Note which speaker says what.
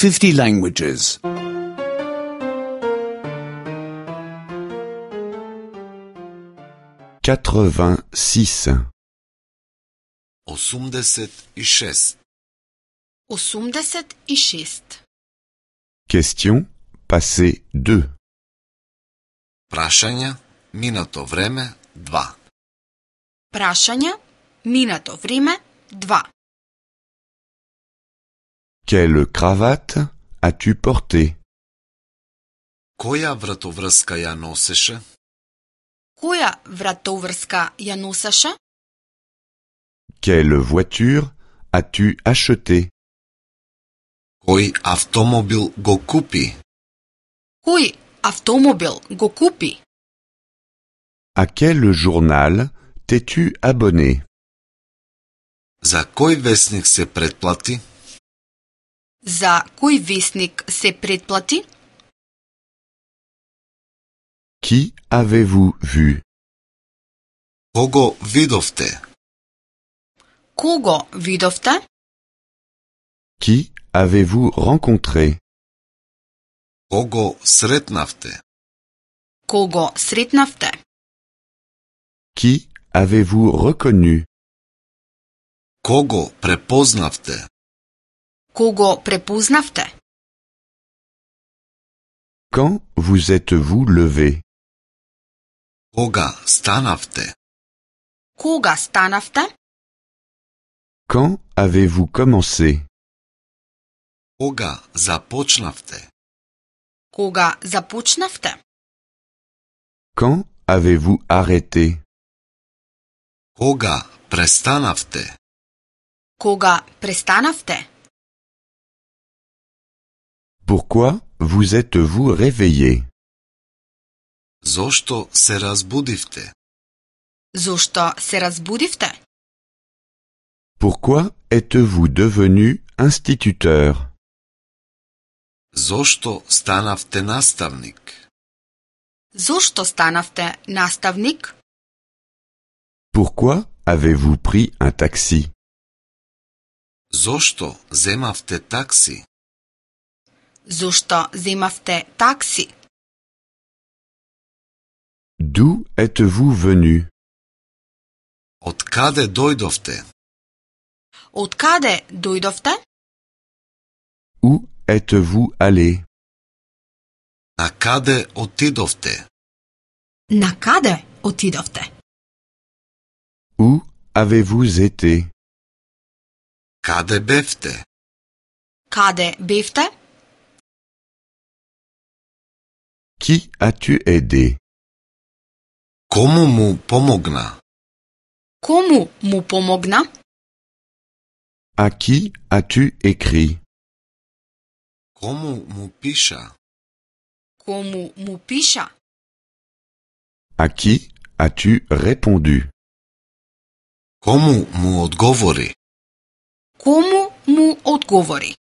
Speaker 1: 50 languages.
Speaker 2: 86.
Speaker 3: 86.
Speaker 4: 86.
Speaker 2: Question passé 2.
Speaker 3: Прашања, минато време 2.
Speaker 4: Прашања, минато време 2.
Speaker 2: Quelle cravate as-tu porté?
Speaker 3: Која вратоврска ја носеше?
Speaker 4: Која вратоврска ја носеше?
Speaker 2: Quelle voiture as-tu acheté?
Speaker 3: Кој автомобил го купи?
Speaker 4: Кој автомобил го купи?
Speaker 2: À quel journal t'es-tu abonné?
Speaker 3: За кој весник се претплати?
Speaker 4: За кој весник се претплати?
Speaker 2: Qui avez-vous vu?
Speaker 3: Кого видовте?
Speaker 4: Кого видовте?
Speaker 2: Qui avez-vous rencontré?
Speaker 3: Кого сретнавте?
Speaker 4: Кого сретнавте?
Speaker 2: Qui avez-vous reconnu?
Speaker 3: Кого препознавте?
Speaker 4: Кого препознавте?
Speaker 2: Quand vous êtes-vous levé?
Speaker 3: Кога станавте?
Speaker 4: Кога станавте?
Speaker 2: Quand avez-vous commencé?
Speaker 3: Кога започнавте?
Speaker 4: Кога започнавте?
Speaker 2: Quand avez-vous arrêté?
Speaker 3: Кога престанавте?
Speaker 4: Кога престанавте?
Speaker 2: Pourquoi vous êtes-vous réveillé?
Speaker 3: Зошто се разбудивте?
Speaker 4: Зошто се разбудивте?
Speaker 2: Pourquoi êtes-vous devenu instituteur?
Speaker 3: Зошто станавте наставник?
Speaker 4: Зошто станавте наставник?
Speaker 2: Pourquoi avez-vous pris un taxi?
Speaker 3: Зошто земавте такси?
Speaker 4: Зошто земавте такси?
Speaker 2: D'où êtes-vous venu?
Speaker 3: Од каде дојдовте?
Speaker 4: Од каде дојдовте?
Speaker 2: Où êtes-vous allé?
Speaker 3: На каде отидовте?
Speaker 4: На каде отидовте?
Speaker 2: Où avez-vous été?
Speaker 3: Каде бевте?
Speaker 4: Каде бевте?
Speaker 2: Qui as-tu aidé?
Speaker 3: Кому му помогна?
Speaker 4: Кому му помогна?
Speaker 2: À qui as-tu écrit?
Speaker 3: Кому му пиша?
Speaker 4: Кому му пиша?
Speaker 2: À qui as-tu répondu?
Speaker 3: Кому му одговори?
Speaker 4: Кому му одговори?